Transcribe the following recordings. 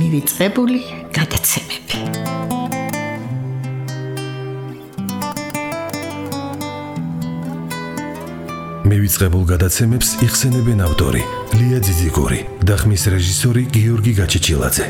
მივიწყებული გადაცემები. მივიწყებულ გადაცემებს იხსენებენ ავტორი ლია ძიძიგური და ხმის რეჟისორი გიორგი გაჩეჩილაძე.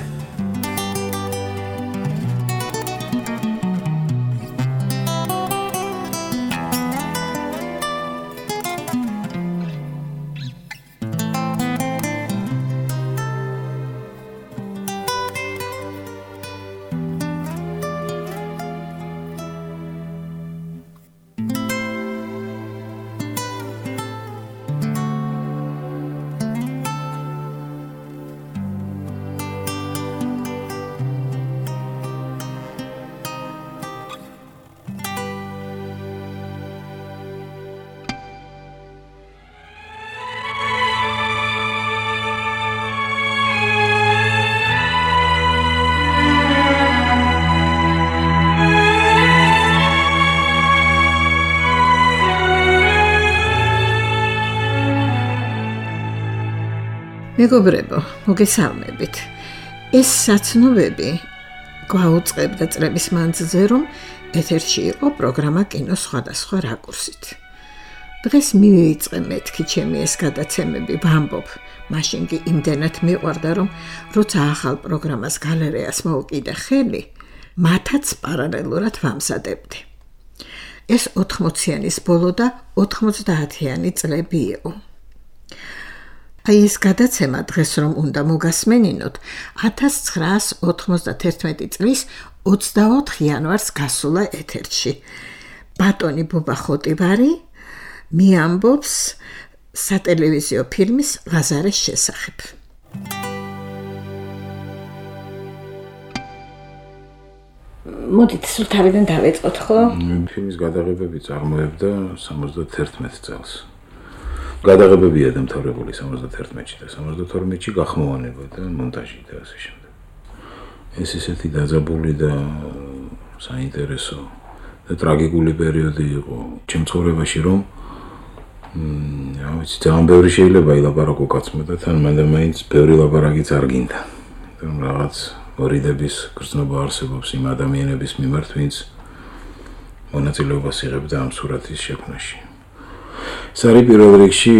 მეგობრებო, მოგესალმებით. ეს საცნობები გვაუწყებდა წლების მანძილზე, რომ ეთერში იყო პროგრამა კინო სხვადასხვა რაკურსით. დღეს მივიწყე მეთქი ჩემი ეს გადაცემები, ვამბობ, მაშინ კი იმდენად მიყვარდა, რომ როცა ახალ პროგრამას გალერეას მოუკიდე ხელი, მათაც პარალელურად ვამზადებდი. ეს 80-იანის ბოლო და 90-იანი წლები იყო. აი ეს გადაცემა დღეს რომ უნდა მოგასმენინოთ 1991 წლის 24 იანვარს გასულა ეთერში. ბატონი ბუბა ხოტივარი მიამბობს სატელევიზიო ფილმის ლაზარეს შესახებ. მოდით სულ თავიდან დავეწყოთ, ხო? ფილმის გადაღებები წარმოებდა 71 წელს. გადაღებებია დამთავრებული 71-ში და 72-ში გახმოვანება და მონტაჟი და ასე შემდეგ. ეს ისეთი დაძაბული და საინტერესო და ტრაგიკული პერიოდი იყო ჩემ ცხოვრებაში, რომ ძალიან ბევრი შეიძლება ილაპარაკო კაცმა და თან მაინც ბევრი ლაპარაკიც არ გინდა. რაღაც ორიდების გრძნობა არსებობს იმ ადამიანების მიმართ, ვინც მონაწილეობას იღებდა ამ სურათის შექმნაში. ეს არის პირველ რიგში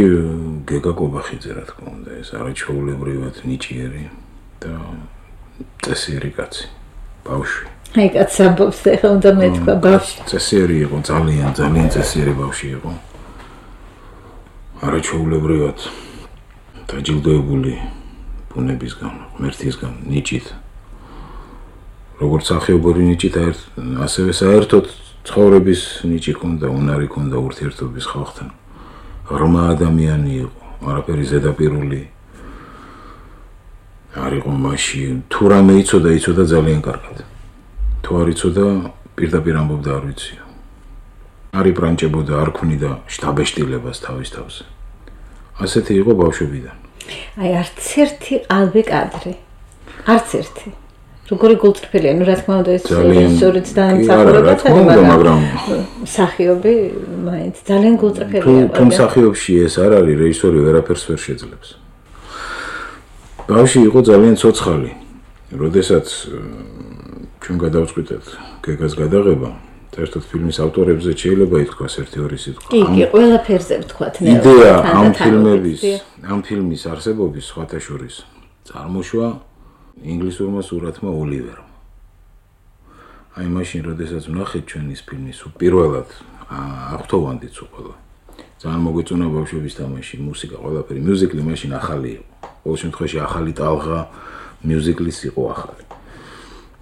გეგა კობახიძე, რა თქმა უნდა, ეს არაჩვეულებრივად ნიჭიერი და წესიერი კაცი, ბავშვი. აი კაცს ამბობს, ეხლა უნდა მეთქვა ბავშვი. წესიერი იყო, ძალიან წესიერი ბავშვი იყო. არაჩვეულებრივად დაჯილდოებული ბუნებისგან, ღმერთისგან, ნიჭით. როგორც სახეობური ნიჭით, ასევე საერთოდ ცხოვრების ნიჭი ჰქონდა, უნარი ჰქონდა ურთიერთობის ხალხთან. ღრმა ადამიანი იყო, არაფერი ზედაპირული არ იყო მასში. თუ რამე იცოდა ძალიან კარგად. თუ არ იცოდა, პირდაპირ ამბობდა არ ვიციო. არ იპრანჭებოდა, არ ქმნიდა შთაბეჭდილებას თავის თავზე. ასეთი იყო ბავშვობიდან. აი არც ერთი ალბი კადრი. არც ერთი. როგორი გულწრფელია, რა თქმა უნდა, ეს რეჟისორიც დაამსახურებათ, მაგრამ მსახიობი მაინც ძალიან გულწრფელია. თუ მსახიობში ეს არ არის, რეჟისორი ვერაფერს ვერ შეძლებს. ბავშვი იყო ძალიან ცოცხალი. როდესაც ჩვენ გადავწყვიტეთ გეგას გადაღება, საერთოდ ფილმის ავტორებზე შეიძლება ითქვას ერთი-ორი სიტყვა. კი, ყველაფერზე ვთქვათ, იდეა ამ ფილმის არსებობის სხვათა შორის წარმოშვა ინგლისურმა სურათმა ოლივერმა. აი მაშინ, როდესაც ვნახეთ ჩვენ ის ფილმი, პირველად აღთოვანდით ყველა. ძალიან მოგვეწონა ბავშვების თამაში, მუსიკა, ყველაფერი. მიუზიკლი მაშინ ახალი იყო. ყოველ შემთხვევაში ახალი ტალღა მიუზიკლის იყო ახალი.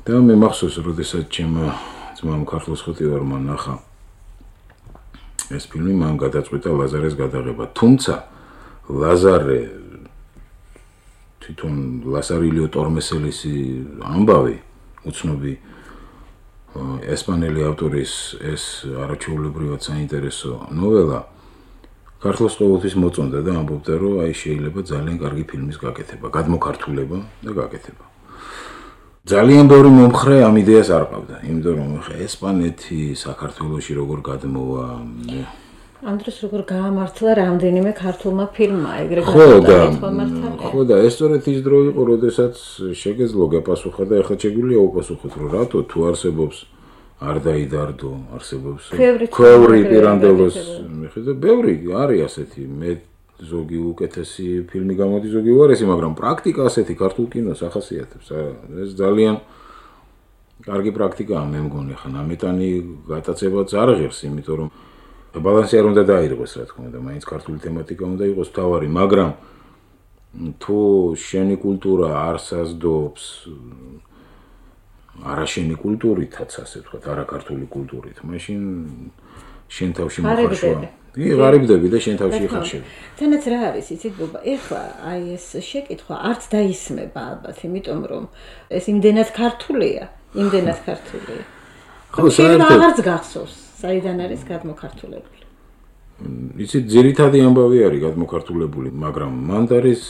და მე მახსოვს, როდესაც ჩემმა ძმამ ქართლოს ხოტივარმა ნახა ეს ფილმი, მან გადაწყვიტა ლაზარეს გადაღება. თუმცა ლაზარე თვითონ ლასარილიო ტორმესელისი ამბავი, უცნობი ესპანელი ავტორის ეს არაჩვეულებრივად საინტერესო ნოველა ქართლოს ყოველთვის მოწონდა და ამბობდა, რომ აი შეიძლება ძალიან კარგი ფილმის გაკეთება, გადმოქართულება და გაკეთება. ძალიან ბევრი მომხრე ამ იდეას არ ყავდა, იმიტომ რომ ესპანეთი საქართველოში როგორ გადმოვა, ამ დროს როგორ გაამართლა რამდენიმე ქართულმა ფილმმა ეგრე ხო და ეს სწორედ ის დრო იყო, როდესაც შეგეძლო გეპასუხა და ეხლა შეგვიძლია უპასუხოთ, რომ რატო თუ არსებობს არ დაიდარდო, არსებობს ქვევრი პირანდელოს მიხედა, ბევრი არის ასეთი, მე ზოგი უკეთესი ფილმი გამოდის, ზოგი უარესი, მაგრამ პრაქტიკა ასეთი ქართულ კინოს ახასიათებს. ეს ძალიან კარგი პრაქტიკაა, მე მგონი, ხა ნამეტანი გატაცებაც არ ღირს, იმიტომ რომ ბალანსი არ უნდა დაირღვეს, რა თქმა უნდა, მაინც ქართული თემატიკა უნდა იყოს მთავარი, მაგრამ თუ შენი კულტურა არ საზდობს არაშენი კულტურითაც, ასე ვთქვათ, არაქართული კულტურით, მაშინ შენ თავში მოხარშვა. ღარიბდები და შენ თავში ხარშები. თანაც რა არის, იცით ბობა, ეხლა აი ეს შეკითხვა არც დაისმება ალბათ, იმიტომ რომ ეს იმდენად ქართულია. ხო, საერთოდ აღარც გახსოვს, საიდან არის გადმოქართულებული. იცით, ძირითადი ამბავი არის გადმოქართულებული, მაგრამ მანდ არის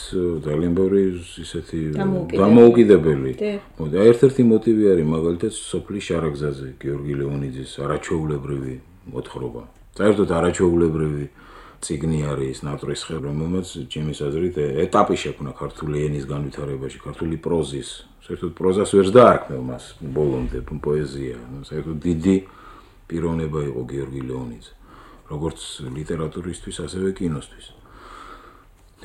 ძალიან ბევრი ისეთი დამოუკიდებელი. და ერთ-ერთი მოტივი არის მაგალითად სოფლის შარაგზაზე, გიორგი ლეონიძის არაჩვეულებრივი მოთხრობა. საერთოდ არაჩვეულებრივი წიგნი არის ნატრის ხე, რომელმაც ჩემის აზრით ეტაპი შექმნა ქართული ენის განვითარებაში, ქართული პროზის. საერთოდ პროზას ვერც დაარქმევ მას ბოლომდე პოეზია. საერთოდ დიდი პიროვნება იყო გიორგი ლეონიძე, როგორც ლიტერატურისთვის, ასევე კინოსთვის.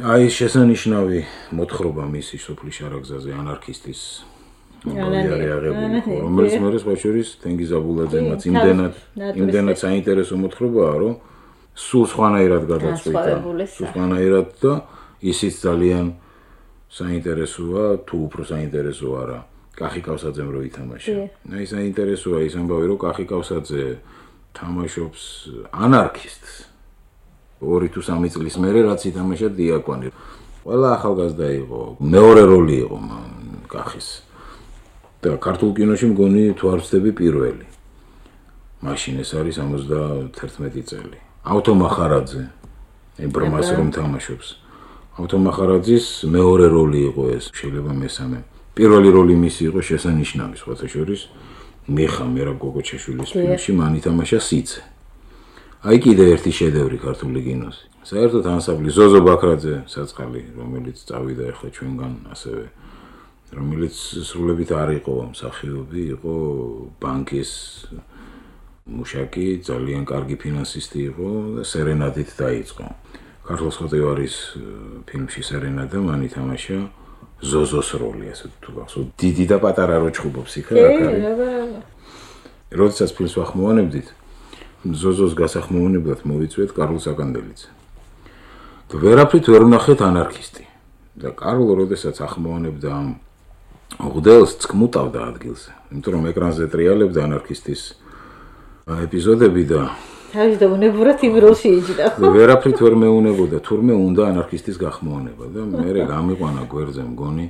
აი შესანიშნავი მოთხრობა მისი სოფლის შარაგზაზე ანარქისტის ამბავი აღებული, რომელიც მე სხვა შორის თენგიზ აბულაძემ იმდენად საინტერესო მოთხრობაა, რომ სულ სხვანაირად გადაწყვიტა, სულ სხვანაირად და ისიც ძალიან საინტერესოა, თუ უფრო საინტერესო არა, კახი კავსაძემ რო ითამაშა. აი საინტერესოა ის ამბავი, რომ კახი კავსაძე თამაშობს ანარქისტს. 2 თუ 3 წლის მერე რაც ითამაშა დიაკვანი. ყველა ახალგაზრდა იყო, მეორე როლი იყო კახის. და ქართულ კინოში მგონი თუ არ ვცდები პირველი. მაშინ ეს არის 71 წელი. ავთო მახარაძე, ებრმას რომ თამაშობს. ავთო მახარაძის მეორე როლი იყო ეს, შეიძლება მესამე. პირველი როლი მისი იყო შესანიშნავი, სხვათა შორის მიხა მერაბ გოგოჩაშვილის ფილმში მან ითამაშა სიცე. აი კიდე ერთი შედევრი ქართული კინოს. საერთოდ ანსამბლი ზოზო ბაქრაძე საწყალი, რომელიც წავიდა ახლა ჩვენგან ასევე, რომელიც სრულებით არ იყო მსახიობი, იყო ბანკის მუშაკი, ძალიან კარგი ფინანსისტი იყო და სერენადით დაიწყო. ქართლის ხოტევარის ფილმში სერენადა მან ითამაშა ზოზოს როლი, ასე თუ გახსოვთ, დიდი და პატარა როჭხუბობს იქ რა არის. როდესაც ფილმს ვახმოვანებდით, ზოზოს გასახმოვანებლად მოვიწვიეთ კარლ საკანდელიძე. და ვერაფრით ვერ ვნახეთ ანარქისტი. და კარლ როდესაც ახმოვანებდა ამ ღუდელს წკმუტავდა ადგილზე, იმიტომ რომ ეკრანზე ტრიალებდა ანარქისტის ეპიზოდები და თავის დაუნებურად იმ როლში იჯდა. ვერაფრით ვერ მეუნებოდა, თურმე უნდა ანარქისტის გახმოვანება და მე გამიყვანა გვერდზე მგონი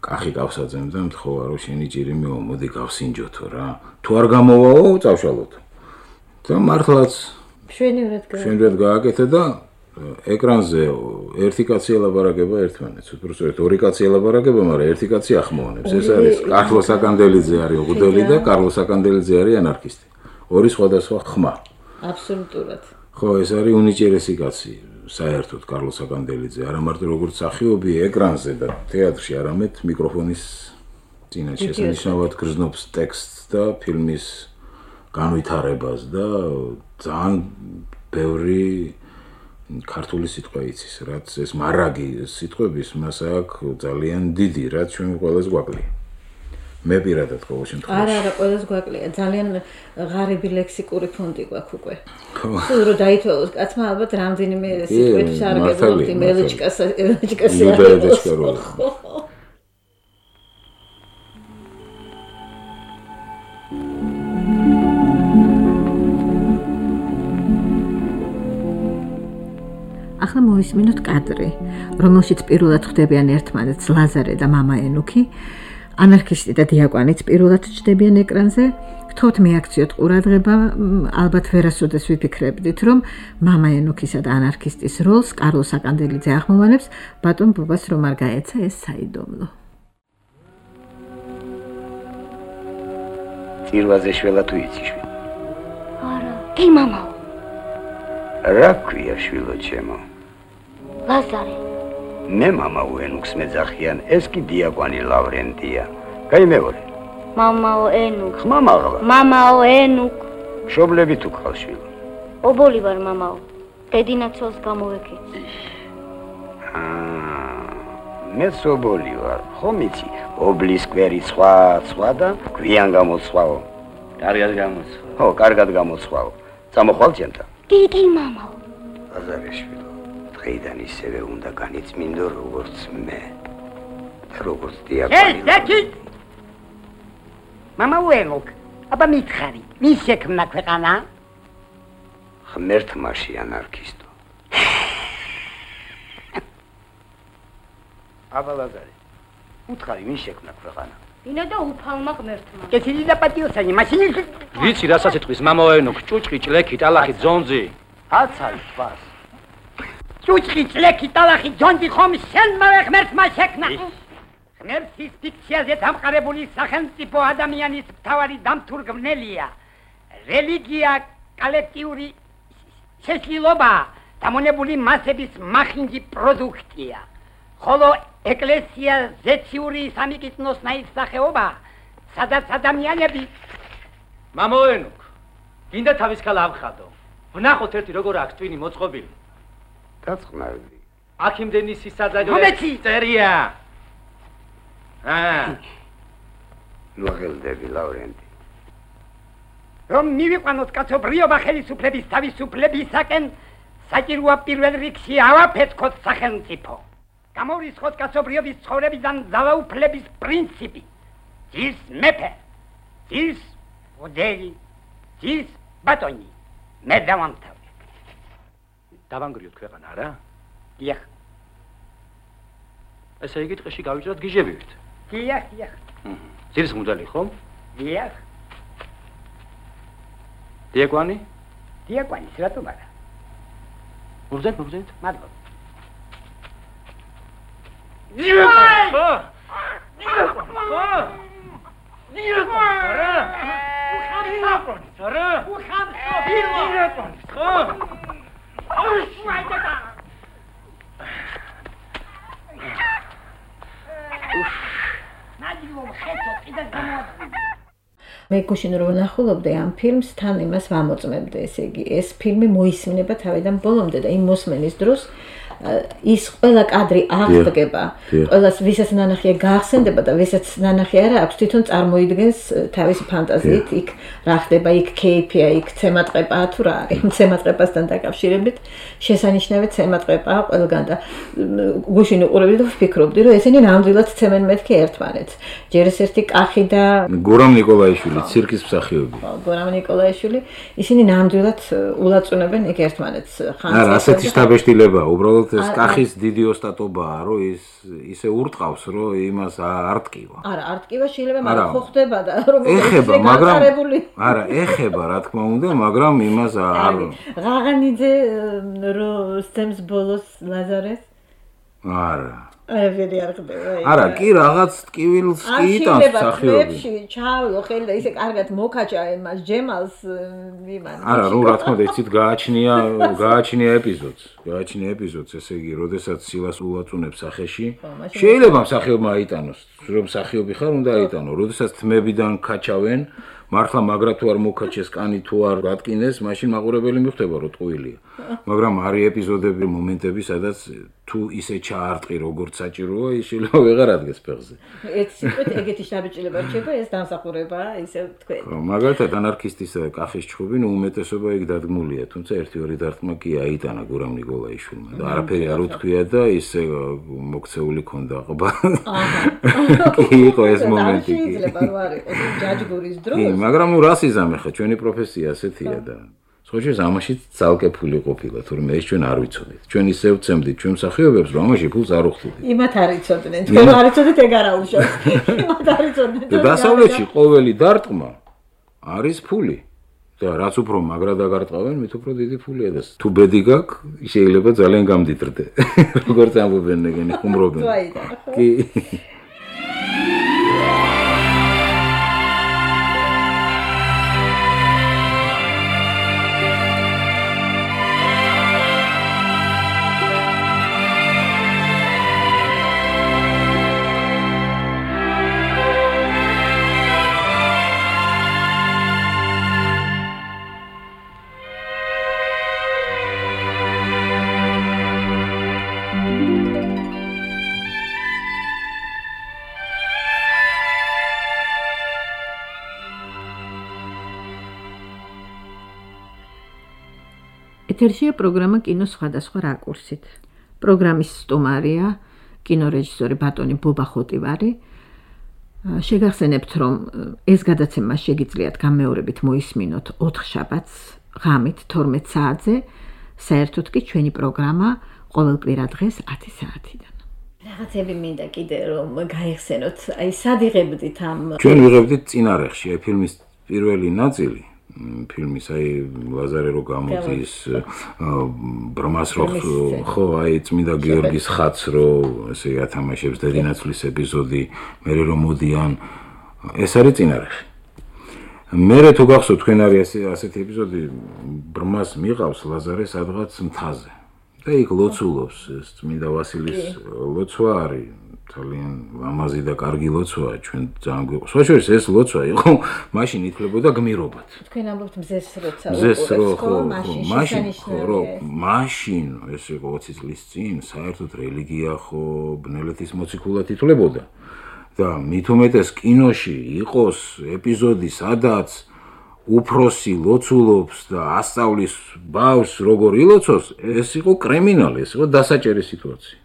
კახი კავსაძემ და მთხოვა რომ შენი ჭირიმეო, მოდი გავსინჯოთო რა. თუ არ გამოვაო, წავშალოთ. და მართლაც შვენივრად გააკეთა და ეკრანზე ერთი კაცი ელაპარაკება ერთმანეთს, უბრალოდ ორი კაცი ელაპარაკება, მაგრამ ერთი კაცი ახმოვანებს. ეს არის კარლ საკანდელიძე არის ღუდელი და კარლ საკანდელიძე არის ანარქისტი. ორი სხვადასხვა ხმა. აბსოლუტურად. ხო, ეს არის უნიჭერესი კაცი, საერთოდ კარლ საკანდელიძე, არა მარტო როგორც მსახიობი ეკრანზე და თეატრში, არამედ მიკროფონის წინაშე შესანიშნავად გრძნობს ტექსტს და ფილმის განვითარებას და ძალიან ბევრი ქართული სიტყვა იცის, რაც ეს მარაგი სიტყვების მას აქვს ძალიან დიდი, რაც ჩვენ ყველას გვაკლია. მე პირადად ყოველ შემთხვევაში. არა, ყველას გვაკლია. ძალიან ღარიბი ლექსიკური ფონდი გვაქვს უკვე. სულ რო დაითვალოს კაცმა ალბათ რამდენიმე სიტყვით არ გეძლოთ იმ ელეჩკას. ახლა მოვისმინოთ კადრი, რომელშიც პირველად ხვდებიან ერთმანეთს ლაზარე და მამა ენუქი. ანარქისტი და დიაკვანიც პირველად ჩნდებიან ეკრანზე. გთხოვთ მიაქციოთ ყურადღება, ალბათ ვერასოდეს ვიფიქრებდით, რომ მამა ენუქისა და ანარქისტის როლს კარლ საკანდელიძე ახმოვანებს, ბატონ ბუბას რომ არ გაეცა ეს საიდუმლო. წირვაზე შველა თუ იცი შვილი? არა, კი მამაო. რა ქვია შვილო ჩემო? ლაზარე. მე მამა უენუქს მეძახიან, ეს კი დიაკვანი ლავრენტია. გაიმეორე. მამაო ენუკ. ხმამაღლა. მამაო ენუკ. მშობლები თუ გყავს შვილო? ობოლი ვარ მამაო. დედინაცოლს გამოვეკეც. მე სობოლი ვარ, ხომ იცი? ობლის კვერი სხვა და გვიან გამოცვაო. კარგად გამოცვა. ხო, კარგად გამოცვაო. წამოხვალ ჩემთან. დიდი მამაო. ლაზარე შვილო, დღეიდან ისევე უნდა განიწმინდო როგორც მე. და როგორც დიაკვანი. ეთი! მამაო ენუკ, აბა მითხარი, ვის შექმნა ქვეყანა? ღმერთმაში ანარქისტო. აბა ლაზარე, უთხარი, ვის შექმნა ქვეყანა? ვინა და უფალმა ღმერთმა. კეთილი და პატიოსანი, მაშინ ვიცი რასაც ეთქვის მამაენუკ, ჭუჭყი, ჭლექი, ტალახი, ძონძი. აცარი თვას. ჭუჭყი, ჭლექი, ტალახი, ძონძი ხომ შენმა ღმერთმა შექმნა. ღმერთის ფიქციაზე დამყარებული სახელმწიფო ადამიანის მთავარი დამთურგმნელია. რელიგია კოლექტიური შეშლილობა დამონებული მასების მახინჯი პროდუქტია. ხოლო ეკლესია ზეციური სამიკითხნოსნაირ სახეობა, სადაც ადამიანები მამაენუკ, გინდა თავის ქალა ავხადო. ვნახოთ ერთი როგორ აქვს ტვინი მოწყობილი. დაწყნარდი. აქ იმდენი სისაძაძე წერია. ნუ აღელდები ლავრენტი. რომ მივიყვანოთ კაცობრიობა ხელისუფლების თავისუფლებისაკენ, საჭიროა პირველ რიგში ავაფეთქოთ სახელმწიფო. გამორისხოთ კაცობრიობის ცხოვრებიდან ძალაუფლების პრინციპი. ძირს მეფე, ძირს მოდელი, ძირს ბატონი. მე დავამთავრე. დავანგრიოთ ქვეყანა, რა? დიახ. ესე იგი ტყეში გავიჭრათ გიჟებივით. დიახ. ძირს მოდელი ხომ? დიახ. დიაკვანი? დიაკვანი, რატომ არა? მოგზენთ. მადლობა. მე გუშინ რომ ნახულობდი ამ ფილმს, თან იმას ვამოწმებდი, ესე იგი, ეს ფილმი მოისმინება თავიდან ბოლომდე და იმ მოსმენის დროს ის ყველა კადრი აღდგება, ყველას ვისაც ნანახია გაახსენდება და ვისაც ნანახი არა აქვს, თვითონ წარმოიდგენს თავისი ფანტაზიით, იქ რა ხდება, იქ კეიფია, იქ ცემატყეპაა თუ რა არის, ცემატყეპასთან დაკავშირებით შესანიშნავი ცემატყეპაა ყველგან და გუშინ უყურებდი და ვფიქრობდი, რომ ესენი ნამდვილად ცემენ მეთქი ერთმანეთს. ჯერ ეს ერთი კახი და გურამ ნიკოლაიშვილი, ცირკის მსახიობი. გურამ ნიკოლაიშვილი, ისინი ნამდვილად ულაწუნებენ იქ ერთმანეთს. არა, ასეთი შთაბეჭდილებაა, უბრალოდ ეს კახის დიდი ოსტატობაა, რომ ისე ურტყავს, რომ იმას არ ტკივა. არა, არ ტკივა შეიძლება, მაგრამ ხო ხდება და რომ ეხება, მაგრამ არა, ეხება, რა თქმა უნდა, მაგრამ იმას არ ღაღანიძე რო სცემს ბოლოს ლაზარეს? არა. არაფერი არ ხდება. არა, კი რაღაც ტკივილს კი იტანს მსახიობი. ჩავიო ხელი და ისე კარგად მოკაჭა იმას ჯემალს იმან. არა, რა თქმა უნდა, იცით გააჩნია ეპიზოდს, ესე იგი, როდესაც სილას ულაწუნებს სახეში, შეიძლება მსახიობმა აიტანოს, რომ მსახიობი ხარ, უნდა აიტანო, როდესაც თმებიდან ქაჩავენ, მართლა მაგრა თუ არ მოკაჩეს კანი თუ არ გატკინეს, მაშინ მაყურებელი მიხვდება, რომ ტყუილია. მაგრამ არის ეპიზოდები, მომენტები, სადაც თუ ისე ჩაარტყი როგორც საჭიროა, ის შეიძლება ვეღარ ადგეს ფეხზე. ეგეთი შაბეჭილება რჩება, ეს დამსახურებაა, ისე თქვენ. მაგალითად, ანარქისტისა და კახის ჩხუბი, უმეტესობა იქ დადგმულია, თუმცა ერთი-ორი დარტყმა კი აიტანა გურამ ნიკოლაიშვილმა და არაფერი არ უთქვია და ისე მოქცეული ქონდა ყბა. კი იყო ეს მომენტი. შეიძლება რომ არ იყოს ჯაჯგურის დროს. მაგრამ რას იზამე ხა, ჩვენი პროფესია ასეთია და სწორედ ამაში ძალკე ფული ყოფილა, თუმცა ეს ჩვენ არ ვიცოდით. ჩვენ ისე ვცემდით ჩვენ მსახიობებს, რომ ამაში ფულს არ უხდით. იმათ არ იცოდნენ, ჩვენ არ იცოდით ეგ არ აუშავს. იმათ არ იცოდნენ. და დასავლეთში ყოველი დარტყმა არის ფული. და რაც უფრო მაგრა დაგარტყავენ, მით უფრო დიდი ფულია და თუ ბედი გაქვს, შეიძლება ძალიან გამდიდრდე. როგორც ამბობენ ეგენი ხუმრობენ. კი. ეთერშია პროგრამა კინო სხვადასხვა რაკურსით. პროგრამის სტუმარია კინორეჟისორი ბატონი ბობა ხოტივარი. შეგახსენებთ, რომ ეს გადაცემა შეგიძლიათ გამეორებით მოისმინოთ 4 შაბათს ღამით 12 საათზე, საერთოდ კი ჩვენი პროგრამა ყოველ კვირა დღეს 10 საათიდან. რაღაცები მინდა კიდე რომ გაიხსენოთ, აი სად იღებდით ამ ჩვენ ვიღებდით წინარეხში, აი ფილმის პირველი ნაწილი, ფილმის აი ლაზარე რო გამოდის ბრმას რო ხო აი წმინდა გიორგის ხატს რო ესე ათამაშებს დედინაცვლის ეპიზოდი, მერე რომ მოდიან, ეს არის წინარეხი. მერე თუ გახსოვთ თქვენ არის ასეთი ეპიზოდი, ბრმას მიყავს ლაზარე სადღაც მთაზე. და იქ ლოცულობს ეს წმინდა ვასილის ლოცვა არის ძალიან ლამაზი და კარგი ლოცვაა ჩვენ ძალიან გვიყვარს. სხვაშორის ეს ლოცვა იყო მაშინ ითვლებოდა გმირობად. თქვენ ამბობთ მზეს როცა მაშინ ეს იყო 20 წლის წინ საერთოდ რელიგია ხო ბნელეთის მოციქულად ითვლებოდა და მით უმეტეს კინოში იყოს ეპიზოდი სადაც უფროსი ლოცულობს და ასწავლის ბავშვს როგორ ილოცოს, ეს იყო კრიმინალი, ეს იყო დასაჭერი სიტუაცია.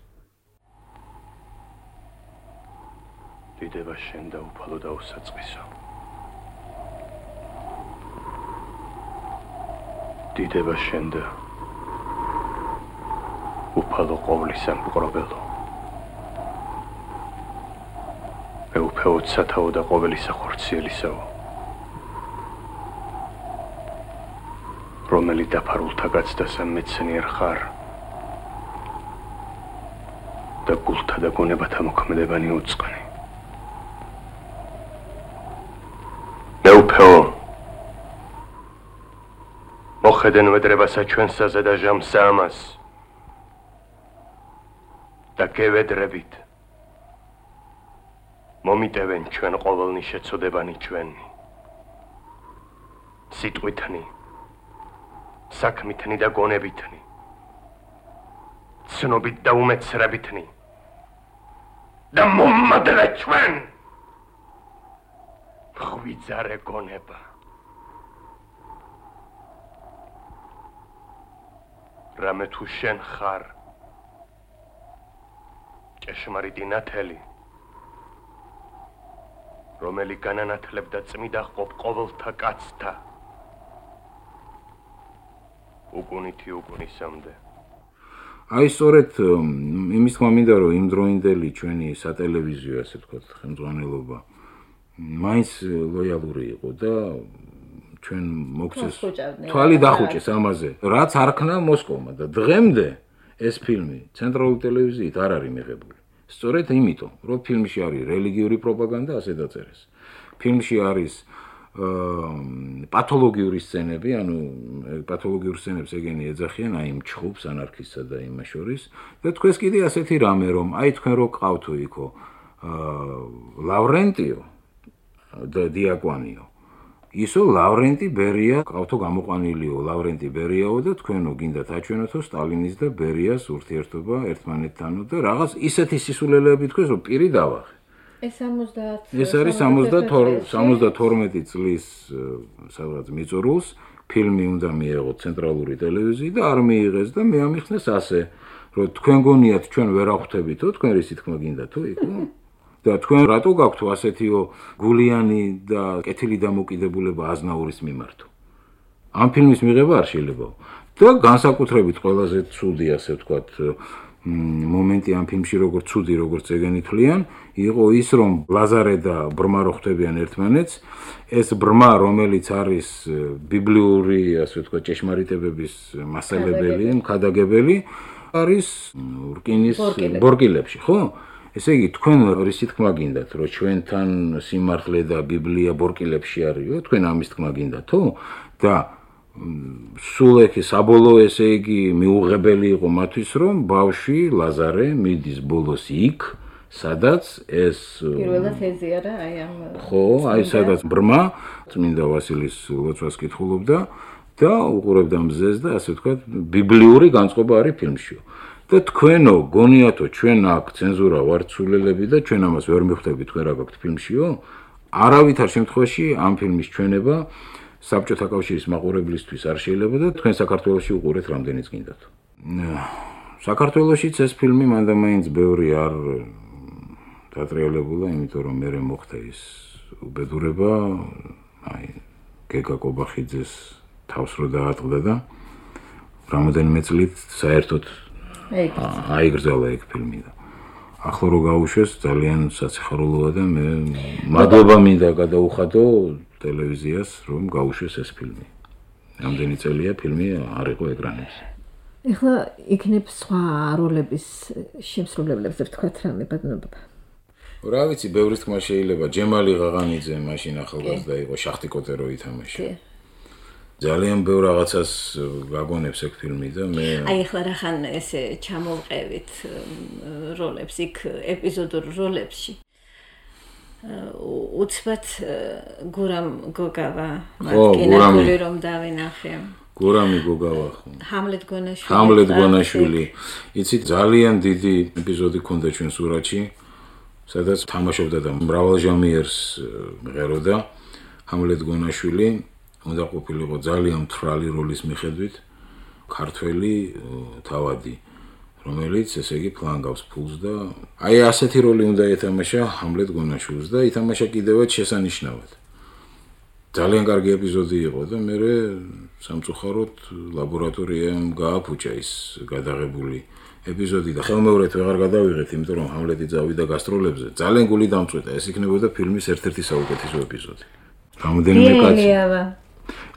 დიდება შენ და უფალო და უსაწყისო. დიდება შენ და უფალო ყოვლისა მპყრობელო. მეუფეოდ სათაო და ყოვლისა ხორციელისაო. რომელი დაფარულთა გაცდასა მეცნიერ ხარ და გულთა და გონებათა მოქმედებანი უწყნი. მეუფეო მოხედენ ვედრებასა ჩვენსაზე და ჟამსა ამას და გევედრებით მომიტევენ ჩვენ ყოველნი შეცოდებანი ჩვენი სიტყვითნი საქმითნი და გონებითნი, ცნობით და უმეცრებითნი და მომადრე ჩვენ ხვიძარე გონება. რამე თუ შენ ხარ ჭეშმარიტი ნათელი, რომელი განანათლებდა წმიდა ყოფ ყოველთა კაცთა უკუნითი უკუნისამდე. აი სწორედ იმის თქმა მინდა რომ იმ დროინდელი ჩვენი სატელევიზიო ასე ვთქვათ ხელმძღვანელობა მაინც ლოიალური იყო და ჩვენ მოგცეს თვალი დახუჭეს ამაზე, რაც არქნა მოსკოვმა და დღემდე ეს ფილმი ცენტრალური ტელევიზიით არ არის მიღებული. სწორედ იმიტომ, რომ ფილმში არის რელიგიური პროპაგანდა, ასე დაწერეს. ფილმში არის პათოლოგიური სცენები, ანუ პათოლოგიურ სცენებს ეგენი ეძახიან აი იმ ჩხუბს, ანარქისტსა და იმას შორის და თქვენს კიდე ასეთი რამე რომ აი თქვენ რო ყავთო იქო ლავრენტიო და დიაკვანიო ისო ლავრენტი ბერია ყავთო გამოყვანილიო ლავრენტი ბერიაო და თქვენო გინდათ აჩვენოთო სტალინის და ბერიას ურთიერთობა ერთმანეთთანო და რაღაც ისეთი სისულელეები თქვენს რომ პირი დავახე. ეს არის 72 წლის სადღაც მიწურულს ფილმი უნდა მიეღოთ ცენტრალური ტელევიზიით და არ მიიღეს და მე ამიხსნეს ასე რომ თქვენ გონიათ ჩვენ ვერ ახვდებითო თქვენ რისი თქმა გინდათო იქო და თქვენ რატო გაქვთ ასეთიო გულიანი და კეთილი დამოკიდებულება აზნაურის მიმართო. ამ ფილმის მიღება არ შეიძლებაო და განსაკუთრებით ყველაზე ცუდი ასე ვთქვათ მომენტი ამ ფილმში როგორც ცუდი როგორც ეგენი თვლიან იყო ის რომ ლაზარე და ბრმა რო ხვდებიან ერთმანეთს ეს ბრმა რომელიც არის ბიბლიური ასე ვთქვათ ჭეშმარიტებების მასალებელი მქადაგებელი არის რკინის ბორკილებში ხო ესე იგი თქვენ რისი თქმა გინდათ რომ ჩვენთან სიმართლე და ბიბლია ბორკილებში არისო თქვენ ამის თქმა გინდათო და სულ ეხი საბოლოო ესე იგი მიუღებელი იყო მათთვის რომ ბავშვი ლაზარე მიდის ბოლოს იქ სადაც ეს პირველად ეზიარა აი ამ ხო აი სადაც ბრმა წმინდა ვასილის ლოცვას კითხულობდა და უყურებდა მზეს და ასე ვთქვათ ბიბლიური განწყობა არის ფილმშიო და თქვენო გონიათო ჩვენ აქ ცენზურა ვართ სულელები და ჩვენ ამას ვერ მივხვდებით თქვენ რა გაქვთ ფილმშიო არავითარ შემთხვევაში ამ ფილმის ჩვენება საბჭოთა კავშირის მაყურებლისთვის არ შეიძლება და თქვენ საქართველოში უყურეთ რამდენიც გინდათ. საქართველოშიც ეს ფილმი მანდამაინც ბევრი არ დატრიალებულა, იმიტომ რომ მე მოხდა ის უბედურება, აი გეგა კობახიძეს თავს რო დაატყდა და რამოდენიმე წლით საერთოდ აიგრძელა ეგ ფილმი და ახლა რო გაუშვეს ძალიან საციხარულოა და მე მადლობა მინდა გადაუხადო ტელევიზიას რომ გაუშვეს ეს ფილმი. რამდენი წელია ფილმი არ იყო ეკრანებზე. ეხლა იქნებ სხვა როლების შემსრულებლებზე ვთქვათ რამე ბატონობა. რა ვიცი, ბევრი თქმა შეიძლება, ჯემალი ღაღანიძე მაშინ ახალგაზრდა იყო, შახტი კოტერო ითამაშა. ძალიან ბევრ რაღაცას გაგონებს ეგ ფილმი და მე აი ეხლა რახან ესე ჩამოვყევით როლებს იქ ეპიზოდურ როლებში. უცბად გურამ გოგავა მარტკინაშვილი რომ დავინახე. გურამი გოგავა ხო? ჰამლეტ გონაშვილი. იცით ძალიან დიდი ეპიზოდი ქონდა ჩვენ სურათში, სადაც თამაშობდა და მრავალჟამიერს მღეროდა ჰამლეტ გონაშვილი. უნდა ყოფილიყო ძალიან მთვრალი როლის მიხედვით ქართველი თავადი, რომელიც ესე იგი ფლანგავს ფულს და აი ასეთი როლი უნდა ეთამაშა ჰამლეტ გონაშვილს და ითამაშა კიდევაც შესანიშნავად. ძალიან კარგი ეპიზოდი იყო და მე სამწუხაროდ ლაბორატორიამ გააფუჭა ის გადაღებული ეპიზოდი და ხელმეორედ ვეღარ გადავიღეთ, იმიტომ რომ ჰამლეტი წავიდა გასტროლებზე. ძალიან გული დამწვიტა, ეს იქნებოდა ფილმის ერთ-ერთი საუკეთესო ეპიზოდი. რამოდენიმე კაცი.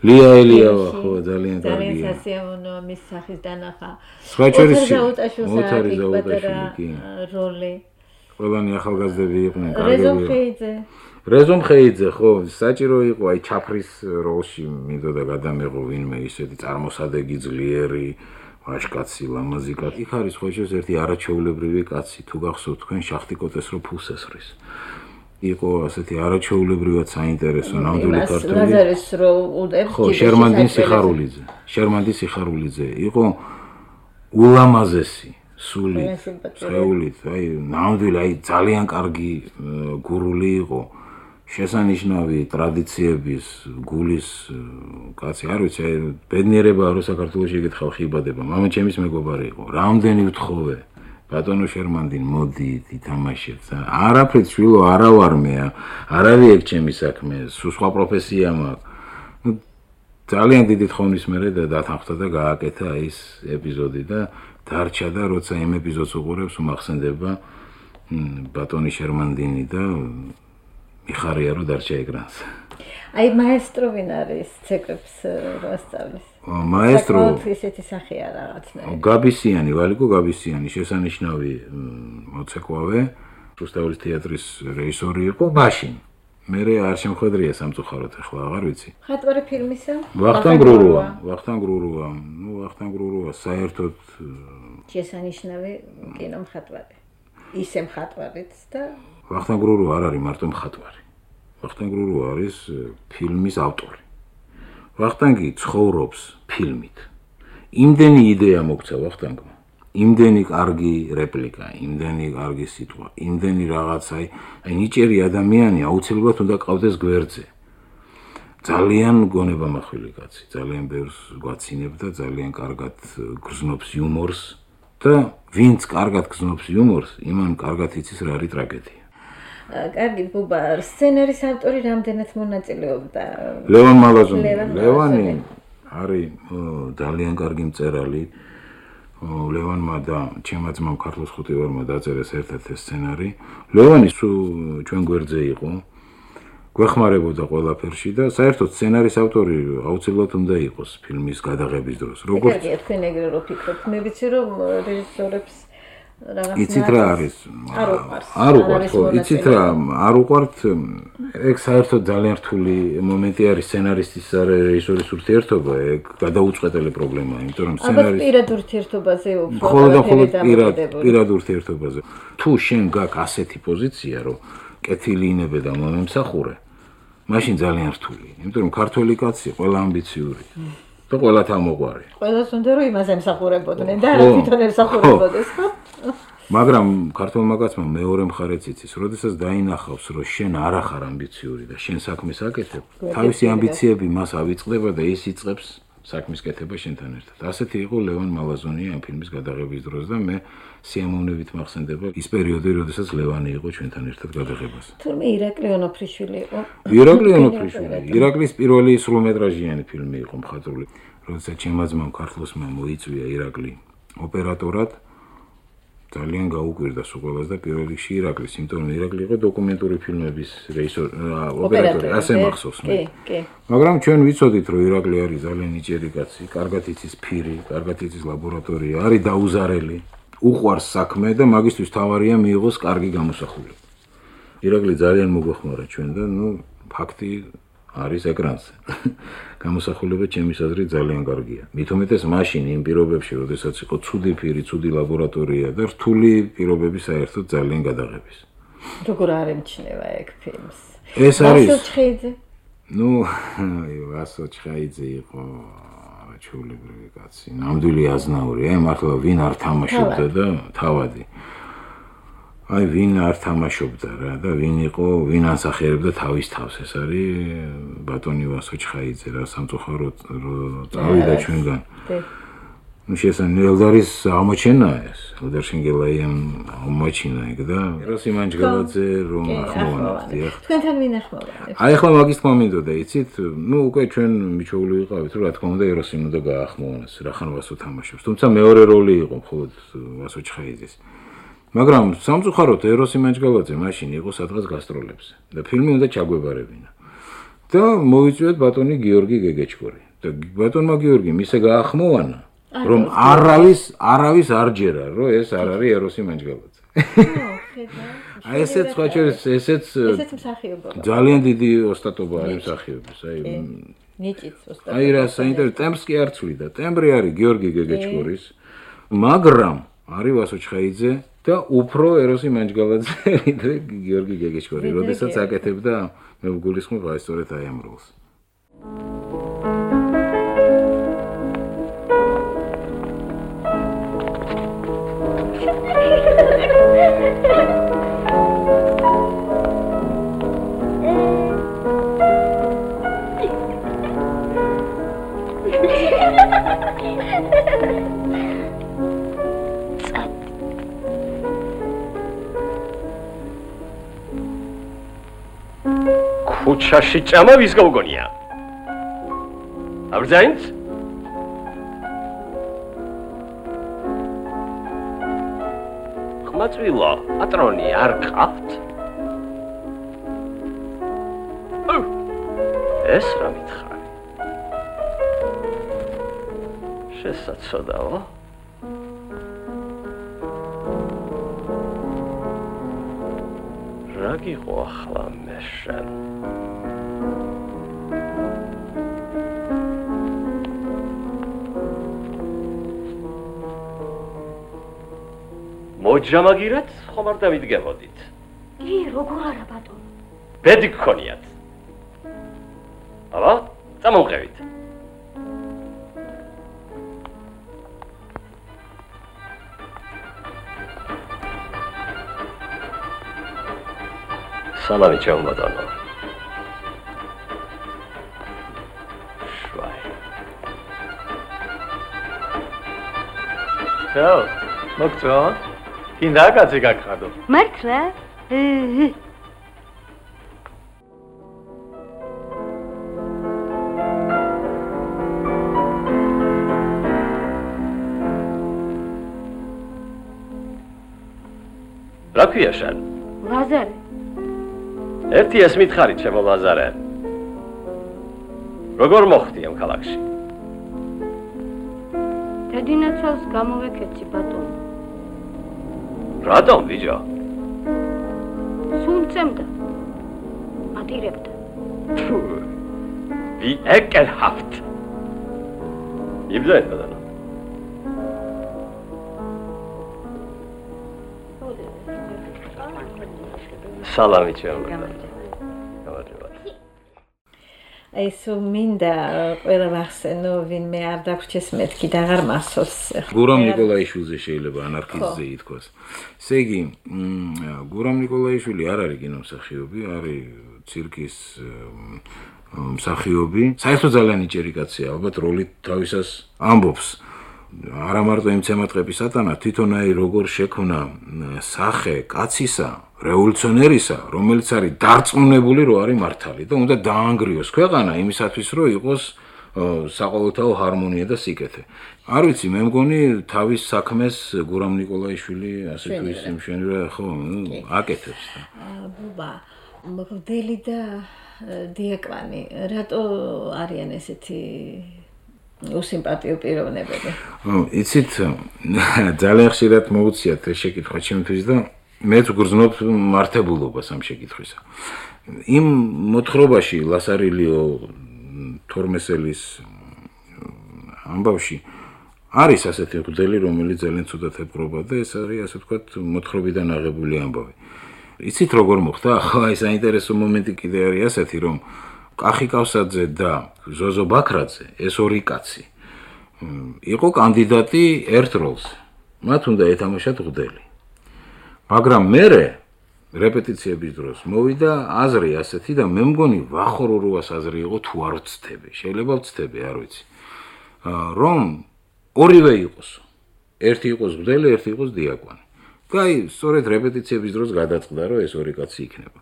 ლია ელიავა ხო ძალიან კარგია. ძალიან სასიამოვნოა მის სახის დანახა. ოთარი ზაუტაშვილი როლი. ყველანი ახალგაზრდები იყვნენ კარგები. რეზომ ხეიძე ხო საჭირო იყო აი ჩაფრის როლში მინდოდა გადამეღო ვინმე ისეთი წარმოსადეგი ძლიერი ვაჟკაცი ლამაზი კაცი. იქ არის ხო ერთი არაჩვეულებრივი კაცი თუ გახსოვთ თქვენ შახტი კოტეს რო ფულს ესხრის. იყო ასეთი არაჩვეულებრივად საინტერესო ნამდვილი ქართული ლაზარის რო უდებს ხო შერმანდი სიხარულიძე იყო ულამაზესი სული წეულით აი ნამდვილი აი ძალიან კარგი გურული იყო შესანიშნავი ტრადიციების გულის კაცი არ ვიცი აი ბედნიერებაა რომ საქართველოში ეგეთ ხალხი იბადება მამაჩემის მეგობარი იყო რამდენი ვთხოვე ბატონო შერმანდინ მოდით ითამაშეთ არაფრით შვილო არა ვარ მე არავი ეგ ჩემი საქმე სხვა პროფესია მაქვს ძალიან დიდი თხოვნის მერე და დათანხმდა და გააკეთა ის ეპიზოდი და დარჩა და როცა იმ ეპიზოდს უყურებს უმახსენდება ბატონი შერმანდინი და მიხარია რომ დარჩა ეკრანზე აი მაესტრო ვინ არის ცეკვებს როსტავის მაესტრო ისეთი სახეა რაღაცნაირი გაბისიანი ვალიკო გაბისიანი შესანიშნავი მოცეკვავე რუსთავის თეატრის რეჟისორი იყო მაშინ მე არ შემხედრია სამწუხაროდ ახლა აღარ ვიცი ხატვარი ფილმისა ვახტანგ გრურუა საერთოდ შესანიშნავი კინომხატვარი ისე მხატვარიც და ვახტანგ გრურუა არ არის მარტო მხატვარი ვახტანგ გრურუა არის ფილმის ავტორი ვახტანგი ცხოვრობს ფილმით იმდენი იდეა მოგცა ვახტანგმა იმდენი კარგი რეპლიკა იმდენი კარგი სიტყვა იმდენი რაღაცა აი ნიჭიერი ადამიანი აუცილებლად უნდა ყავდეს გვერდზე ძალიან გონება მახვილი კაცი ძალიან ბევრს გვაცინებდა ძალიან კარგად გრძნობს იუმორს და ვინც კარგად გრძნობს იუმორს იმან კარგად იცის რა არის ტრაგედია კარგი ბუბა სცენარის ავტორი რამდენად მონაწილეობდა ლევან მალაზონი ლევანი არის ძალიან კარგი მწერალი ლევანმა და ჩემმა ძმამ ქართლოს ხუთივარმა დაწერეს ერთ-ერთი სცენარი ლევანი ჩვენ გვერდზე იყო გვეხმარებოდა ყველაფერში და საერთოდ სცენარის ავტორი აუცილებლად უნდა იყოს ფილმის გადაღების დროს როგორც კარგია თქვენ ეგრე რო ფიქრობთ მე ვიცი რომ რეჟისორებს იცით რა არის არ უყვართ ხო იცით რა არ უყვართ ეგ საერთოდ ძალიან რთული მომენტი არის სცენარისტის და რეჟისორის ურთიერთობა ეგ გადაუწყვეტელი პრობლემაა იმიტომ რომ სცენარისტი პირად ურთიერთობაზე პირად ურთიერთობაზე თუ შენ გაქვს ასეთი პოზიცია რომ კეთილი ინებე და მომემსახურე მაშინ ძალიან რთულია იმიტომ რომ ქართველი კაცი ყველა ამბიციური და ყველა თამოყვარი ყველას უნდა რომ იმას ემსახურებოდნენ და არა თვითონ ემსახურებოდეს ხო მაგრამ ქართულმა კაცმა მეორე მხარეც იცის, როდესაც დაინახავს, რომ შენ არ ახარ ამბიციური და შენ საქმეს აკეთებ, თავისი ამბიციები მას ავიწყდება და ის იწყებს საქმის კეთება შენთან ერთად. ასეთი იყო ლევან მალაზონია ამ ფილმის გადაღების დროს და მე სიამოვნებით მახსენდება ის პერიოდი, როდესაც ლევანი იყო ჩვენთან ერთად გადაღებას. თურმე ირაკლი ონოფრიშვილი იყო. ირაკლი ონოფრიშვილი. ირაკლის პირველი სრულმეტრაჟიანი ფილმი იყო მხატვრული. როდესაც ჩემმა ძმამ ქართლოსმა მოიწვია ირაკლი ოპერატორად, ძალიან გაუკვირდა სულ და პირველ რიგში ირაკლის, იმიტომ რომ ირაკლი იყო დოკუმენტური ფილმების ოპერატორი, ასე მახსოვს მე. კი. მაგრამ ჩვენ ვიცოდით, რომ ირაკლი არის ძალიან ნიჭიერი კაცი, კარგად იცის ფირი, კარგად იცის ლაბორატორია, არის დაუზარელი, უყვარს საქმე და მაგისთვის თავარია მიიღოს კარგი გამოსახულება. ირაკლი ძალიან მოგვეხმარა ჩვენ და ფაქტი არის ეკრანზე. გამოსახულება ჩემის აზრით ძალიან კარგია. მით უმეტეს მაშინ იმ პირობებში, როდესაც იყო ცუდი ფირი, ცუდი ლაბორატორია და რთული პირობები საერთოდ ძალიან გადაღების. როგორ არ ემჩნევა ეგ ფილმს? ეს არის. ვასილ ვასილ ჩხაიძე იყო ჩვეულებრივი კაცი. ნამდვილი აზნაური, მართლა ვინ არ თამაშობდა და თავადი. აი ვინ არ თამაშობდა რა და ვინ იყო, ვინ ასახერებდა თავის თავს. ეს არის ბატონი ვასო ჩხაიძე რა, სამწუხაროდ წავიდა ჩვენგან. შესაძლოა ელდარის აღმოჩენა ეს, ელდარ შენგელაიამ აღმოჩინა ეგ და ეროსი მანჯგალაძე რომ ახმოვანებს, დიახ. თქვენთან ვინ ახმოვანებს? აი ახლა მაგის თქმა მინდოდა, იცით? უკვე ჩვენ მიჩვეული ვიყავით, რომ რა თქმა უნდა ეროსი უნდა გაახმოვანოს, რახან ვასო თამაშობს. თუმცა მეორე როლი იყო მხოლოდ ვასო ჩხაიძეს. მაგრამ სამწუხაროდ ეროსი მანჯგალაძე მაშინ იყო სადღაც გასტროლებზე და ფილმი უნდა ჩაგვებარებინა. და მოვიწვიეთ ბატონი გიორგი გეგეჩკორი. და ბატონმა გიორგიმ ისე გაახმოვანა, რომ არავის არ ჯერა, რომ ეს არ არის ეროსი მანჯგალაძე. აი ესეც სხვა შორის ესეც ძალიან დიდი ოსტატობა არის მსახიობის. აი ნიჭიც ოსტატობა. აი რა საინტერესო ტემპს კი არ ცვლიდა. ტემბრი არის გიორგი გეგეჩკორის, მაგრამ არის ვასო ჩხაიძე და უფრო ეროსი მანჯგალაძე ვიდრე გიორგი გეგეჩკორი, როდესაც აკეთებდა მე ვგულისხმობ აი სწორედ აი ამ როლს. ქუჩაში ჭამა ვის გაუგონია? აბრძაინც? ხმაწვილო, პატრონი არ ყავთ? ეს რა მითხარი? შესაძლოა? რა გიყო ახლა მე შენ? მოჯამაგირეთ, ხომ არ დავიდგებოდით? კი, როგორ არა ბატონო? ბედი გქონიათ. აბა, წამოვყევით. სალამი ჩემო ბატონო. შვაი. ჩაო, მოგწონთ? კიდე კაცი გაგხადო. მართლა? რა ქვია შენ? ლაზარე. ერთი ეს მითხარი ჩემო ლაზარე. როგორ მოხდი ამ ქალაქში? დედინაცვალს გამოვეკეცი ბატონო. რატომ ბიჭო? სულ წემდა. ატირებდა. Wie ekelhaft. Ibsen bana. Salam içiyorum. აი სულ მინდა ყველა ვახსენო ვინმე არ დაგვრჩეს მეთქი და აღარ მახსოვს გურამ ნიკოლაიშვილზე შეიძლება ანარქისტზე ითქვას ესე იგი გურამ ნიკოლაიშვილი არ არის კინომსახიობი არის ცირკის მსახიობი საერთოდ ძალიან იჭერი კაცია ალბათ როლით თავისას ამბობს არა მარტო იმცემა ტყეპის სატანა თვითონ აი როგორ შექმნა სახე კაცისა რევოლუციონერისა რომელიც არის დარწმუნებული რომ არის მართალი და უნდა დაანგრიოს ქვეყანა იმისათვის რომ იყოს საყოველთაო ჰარმონია და სიკეთე არ ვიცი მე მგონი თავის საქმეს გურამ ნიკოლაიშვილი ასე თუ ისე მშვენივრა ხო აკეთებს და ბუბა მღვდელი და დიაკვანი რატო არიან ესეთი უსიმპათიო პიროვნებები იცით ძალიან ხშირად მოუციათ ეს შეკითხვა ჩემთვის და მეც გრძნობ მართებულობას ამ შეკითხვისა იმ მოთხრობაში ლასარილიო თორმესელის ამბავში არის ასეთი მღვდელი რომელიც ძალიან ცუდად ეპყრობა და ეს არის ასე ვთქვათ მოთხრობიდან აღებული ამბავი იცით როგორ მოხდა ახლა აი საინტერესო მომენტი კიდე არის ასეთი რომ კახი კავსაძე და ზოზო ბაქრაძე ეს ორი კაცი იყო კანდიდატი ერთ როლს მათ უნდა ეთამაშათ მღვდელი მაგრამ მერე რეპეტიციების დროს მოვიდა აზრი ასეთი და მე მგონი ვახოროროას აზრი იყო თუ არ ვცდები შეიძლება ვცდები არ ვიცი რომ ორივე იყოს ერთი იყოს მღვდელი ერთი იყოს დიაკვანი და აი სწორედ რეპეტიციების დროს გადაწყდა რომ ეს ორი კაცი იქნება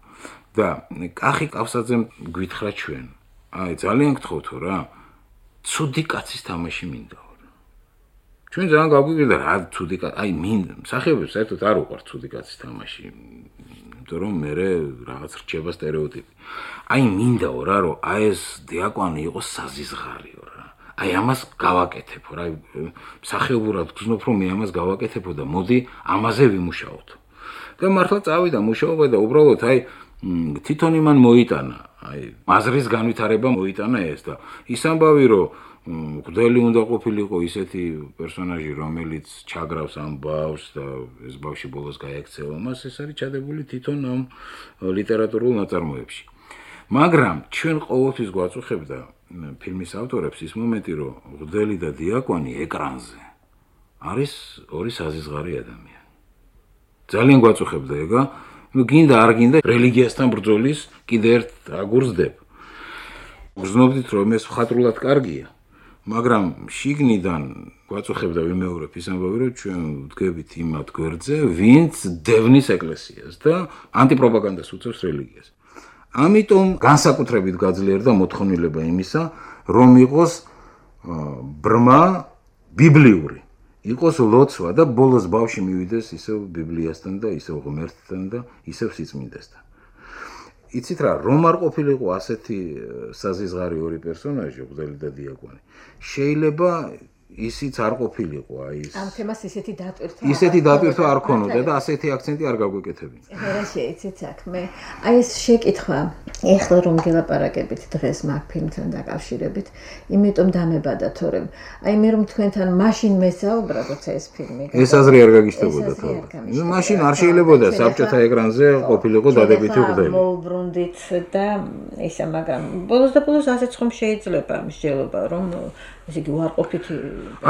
და კახი კავსაძემ გვითხრა ჩვენ აი ძალიან გთხოვთო რა ცუდი კაცის თამაში მინდაო ჩვენ ძალიან გაგვიგდა რა ცუდი კაცი აი მინდა მსახიობებს საერთოდ არ უყვართ ცუდი კაცის თამაში იმიტომ რომ მე რაღაც რჩება სტერეოტიპი აი მინდაო რა რომ აი ეს დიაკვანი იყოს საზიზღარიო რა აი ამას გავაკეთებო რა მსახიობურად გძნობ რომ მე ამას გავაკეთებო და მოდი ამაზე ვიმუშაოთ და მართლა წავიდა მუშაობა და უბრალოდ აი თვითონ იმან მოიტანა აი აზრის განვითარება მოიტანა ეს და ის ამბავი რომ მღვდელი უნდა ყოფილიყო ისეთი პერსონაჟი რომელიც ჩაგრავს ამ ბავშვს და ეს ბავშვი ბოლოს გაექცევა მას ეს არის ჩადებული თვითონ ამ ლიტერატურულ ნაწარმოებში მაგრამ ჩვენ ყოველთვის გვაწუხებდა ფილმის ავტორებს ის მომენტი რომ მღვდელი და დიაკვანი ეკრანზე არის ორი საზიზღარი ადამიანი ძალიან გვაწუხებდა ეგა ну გინდა არ გინდა რელიგიასთან ბრძოლის კიდე ერთ აგურს დებ გრძნობდით რომ ეს მხატვრულად კარგია მაგრამ შიგნიდან გვაწუხებდა ვიმეორებ ის ამბავი რომ ჩვენ ვდგებით იმათ გვერდზე ვინც დევნის ეკლესიას და ანტიპროპაგანდას უწევს რელიგიას ამიტომ განსაკუთრებით გაძლიერდა მოთხოვნილება იმისა რომ იყოს ბრმა ბიბლიური იყოს ლოცვა და ბოლოს ბავში მივიდეს ისევ ბიბლიასთან და ისევ ღმერთთან და ისევ სიწმინდესთან. იცით რა, რომ არ ყოფილიყო ასეთი საზიზღარი ორი პერსონაჟი, მღვდელი და დიაკვანი. შეიძლება ისიც არ ყოფილიყო, აი ის. ამ თემას ისეთი დატვირთვა არ ქონოდა და ასეთი აქცენტი არ გაგვეკეთებინა. რა შეიცით საქმე? აი ეს შეკითხვა, ეხლა რომ გელაპარაკებით დღეს მაგ ფილმთან დაკავშირებით, იმიტომ დამებადა თორემ აი მე რომ თქვენთან მაშინ მესაუბრა, როცა ეს ფილმი ეს აზრი არ გაგიშტებოდა თორემ. ნუ მაშინ არ შეიძლებოდა საბჭოთა ეკრანზე ყოფილიყო დადებითი მღვდელი. მოვბრუნდით და ისა, მაგრამ ბოლოს და ბოლოს ასეც ხომ შეიძლება მსჯელობა რომ ესე იგი უარყოფითი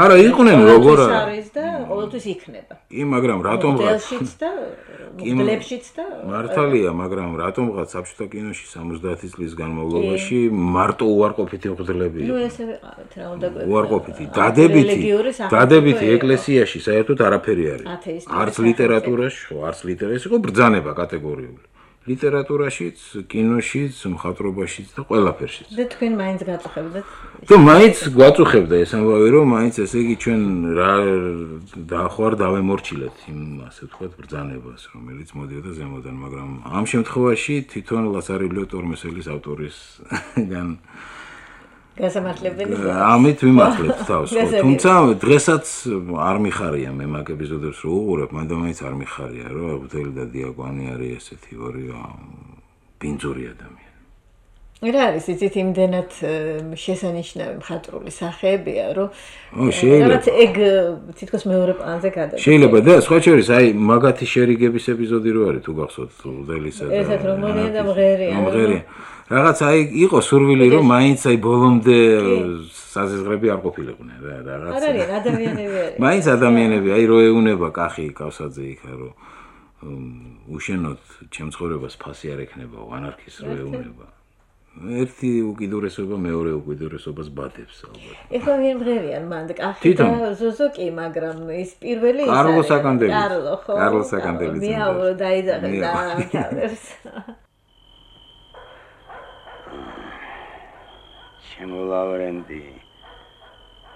არა იყვნენ როგორ არის და ყოველთვის იქნება. მაგრამ რატომღაც მოდელშიც და მოდელებშიც და მართალია, მაგრამ რატომღაც საბჭოთა კინოში 70 წლის განმავლობაში მარტო უარყოფითი მღვდლებია. ნუ ესე ვიყავით რა უნდა გვეუბნებოდეს. უარყოფითი, დადებითი ეკლესიაში საერთოდ არაფერი არის. არც ლიტერატურაში, არც ლიტერატურაში იყო ბრძანება კატეგორიული. ლიტერატურაშიც, კინოშიც, მხატვრობაშიც და ყველაფერშიც. და თქვენ მაინც გაწუხებდეთ? თუ მაინც გვაწუხებდა ეს ამბავი, რომ მაინც ესე იგი ჩვენ რა დაახوار დავემორჩილეთ იმ ასე ვთქვათ ბრძანებას, რომელიც მოდიოდა ზემოდან, მაგრამ ამ შემთხვევაში თვითონ ლასარილიო თორმესელის ავტორისგან გასამართლებელი. ამით ვიმართლებთ თავს. თუმცა დღესაც არ მიხარია მე მაგ ეპიზოდებს რო უყურებ, მანდ მაინც არ მიხარია, რომ მღვდელი და დიაკვანი არის ესეთი ორი ბინძური ადამიანი. რა არის იცით იმდენად შესანიშნავი მხატვრული სახეებია რომ შეიძლება ეგ თითქოს მეორე პლანზე გადადის შეიძლება და სხვა შორის აი მაგათი შერიგების ეპიზოდი რო არის თუ გახსოვთ ლუდელისა და ესეთ რომელია და მღერია რაღაც აი იყო სურვილი რომ მაინც აი ბოლომდე საზღვრები არ ყოფილიყვნენ რა რაღაც არიან ადამიანები არიან მაინც ადამიანები აი რო ეუნება კახი კავსაძე იქა რომ უშენოთ ჩემ ცხოვრებას ფასი არ ექნება ანარქის რო ეუნება ერთი უკიდურესობა მეორე უკიდურესობას ბადებს ალბათ. ეხლა ვინ მღერიან მანდ კახი და ზოზო კი, მაგრამ ის პირველი ის კარლო საკანდელი. კარლო საკანდელი. მიაურო დაიძახე და ამთავრებს. ჩემო ლავრენტი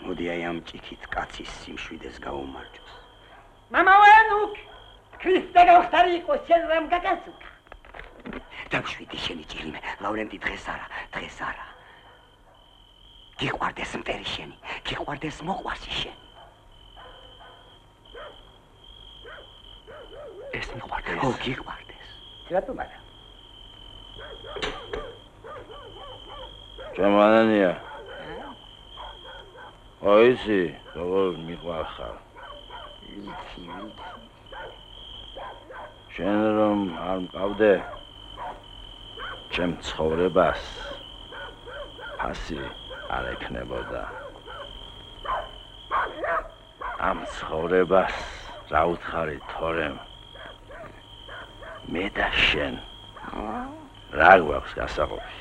მოდი აი ამ ჭიქით კაცის სიმშვიდეს გაუმარჯოს. მამაენუკ ქრისტე გავხტარი იყოს შენ რამ გაგაცუკა. დაგვშვიდი შენი ჭირიმე, ლავრენტი დღეს არა. გიყვარდეს მტერი შენი, გიყვარდეს მოყვარსი შენი. ეს მიყვარდეს. ო, გიყვარდეს. რატომ არა? ჯამანანია. ოისი, როგორ მიყვარხარ? შენ რომ არ მყავდე ჩემ ცხოვრებას ფასი არ ექნებოდა. ამ ცხოვრებას რა უთხარი თორემ მე და შენ რა გვაქვს გასაყოფი?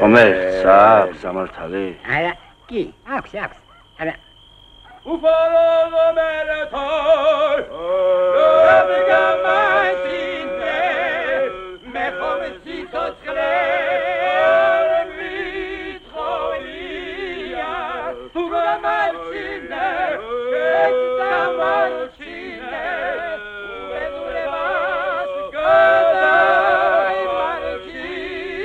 კომერცა სამართალი? არა, კი, აქვს. არა. უფალო მერეთოი რაბიგამაინე მე ხომი ცოცხლე მითხოვია თუ გამარჩინე გამარჩინე უედურებას გადაი მარჩინე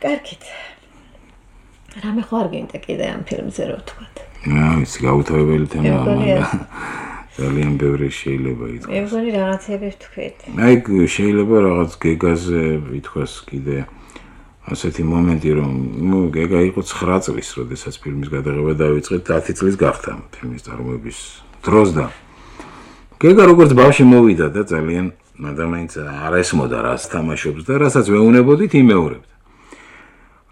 კარგით. რამე ხარ გინდა კიდე ამ ფილმზე რო ვთქვათ? ის გაუთავებელი თემაა. ძალიან ბევრი შეიძლება ითქვას. მე მგონი რაღაცები ვთქვით. აი შეიძლება რაღაც გეგაზე ითქვას კიდე ასეთი მომენტი რომ გეგა იყო 9 წლის, როდესაც ფილმის გადაღება დაიწყეთ, 10 წლის გახდა ფილმის წარმოების დროს და გეგა როგორც ბავშვი მოვიდა და ძალიან ადამიანს არ ესმოდა რას თამაშობს და რასაც ვეუნებოდით იმეორებდა.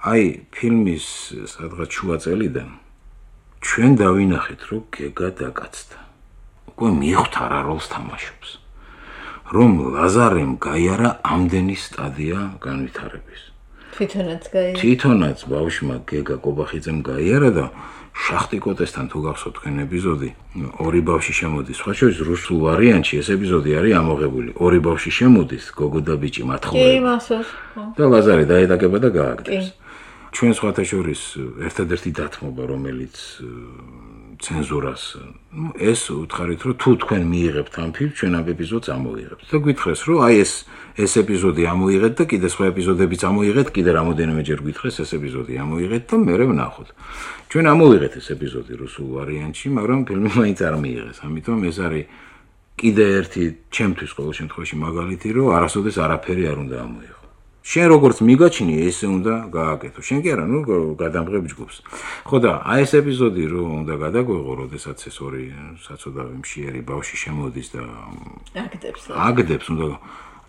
აი ფილმის სადღაც შუა წელიდან ჩვენ დავინახეთ რომ გეგა დაკაცდა. უკვე მიხვდა რა როლს თამაშობს. რომ ლაზარემ გაიარა ამდენი სტადია განვითარების. თვითონაც ბავშვმა გეგა კობახიძემ გაიარა და შახტიკოტესთან თუ გახსოვთ თქვენ ეპიზოდი, ორი ბავშვი შემოდის. სხვა შორის რუსულ ვარიანტში ეს ეპიზოდი არის ამოღებული. ორი ბავშვი შემოდის, გოგო და ბიჭი მათხოვება. და ლაზარე დაედაგება და გააგდებს. ჩვენ სხვათა შორის ერთადერთი დათმობა, რომელიც ცენზურას ეს უთხარით რომ თუ თქვენ მიიღებთ ამ ფილმს, ჩვენ ამ ეპიზოდს ამოიღებთ. და გითხრეს რომ აი ეს ეპიზოდი ამოიღეთ და კიდე სხვა ეპიზოდებიც ამოიღეთ, კიდე რამოდენიმეჯერ გითხრეს ეს ეპიზოდი ამოიღეთ და მე ვნახოთ. ჩვენ ამოვიღეთ ეს ეპიზოდი რუსულ ვარიანტში, მაგრამ ფილმი მაინც არ მიიღეს. ამიტომ ეს არის კიდე ერთი ჩემთვის ყოველ შემთხვევაში მაგალითი, რომ არასოდეს არაფერი არ უნდა ამოიღო. შენ როგორც მიგაჩინი ესე უნდა გააკეთო. შენ კი არა, ნუ გადამღებ ჯგუფს. ხო და აი ეს ეპიზოდი რომ უნდა გადაგვეღო, როდესაც ეს ორი საცოდავი მშიერი ბავშვი შემოდის და აგდებს უნდა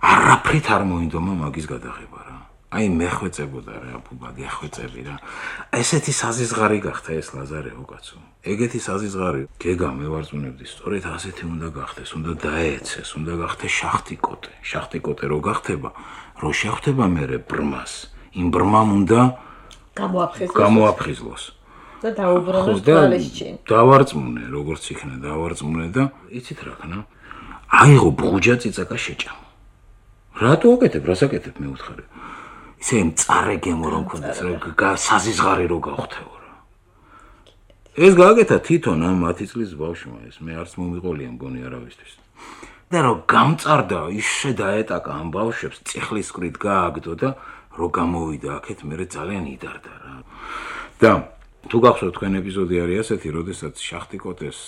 არაფრით არ მოინდომა მაგის გადაღება რა. აი მეხვეწებოდა რა ბუბა გეხვეწები რა ესეთი საზიზღარი გახდა ეს ლაზარეო კაცო ეგეთი საზიზღარი გეგა მევარწმუნებდი სწორედ ასეთი უნდა გახდეს უნდა დაეცეს უნდა გახდეს შახტიკოტე რო გახდება რო შეხვდება მერე ბრმას იმ ბრმამ უნდა გამოაფხიზლოს და დაუბრუნოს თვალისჩინ დავარწმუნე როგორც იქნა დავარწმუნე და იცით რა ხნა აიღო ბუჯა წიწაკა შეჭამა რატო აკეთებ რას აკეთებ მე უთხარი ისე მწარე გემო რომ ქონდეს რა საზიზღარი რო გავხთეო რა ეს გააკეთა თვითონ ამ 10 წლის ბავშვმა ეს მე არც მომიყოლია მგონი არავისთვის და რო გამწარდა ისე დაეტაკა ამ ბავშვებს წიხლისკვრით გააგდო და რო გამოვიდა აქეთ მე ძალიან იდარდა რა და თუ გახსოვთ თქვენ ეპიზოდი არის ასეთი როდესაც შახტიკოტეს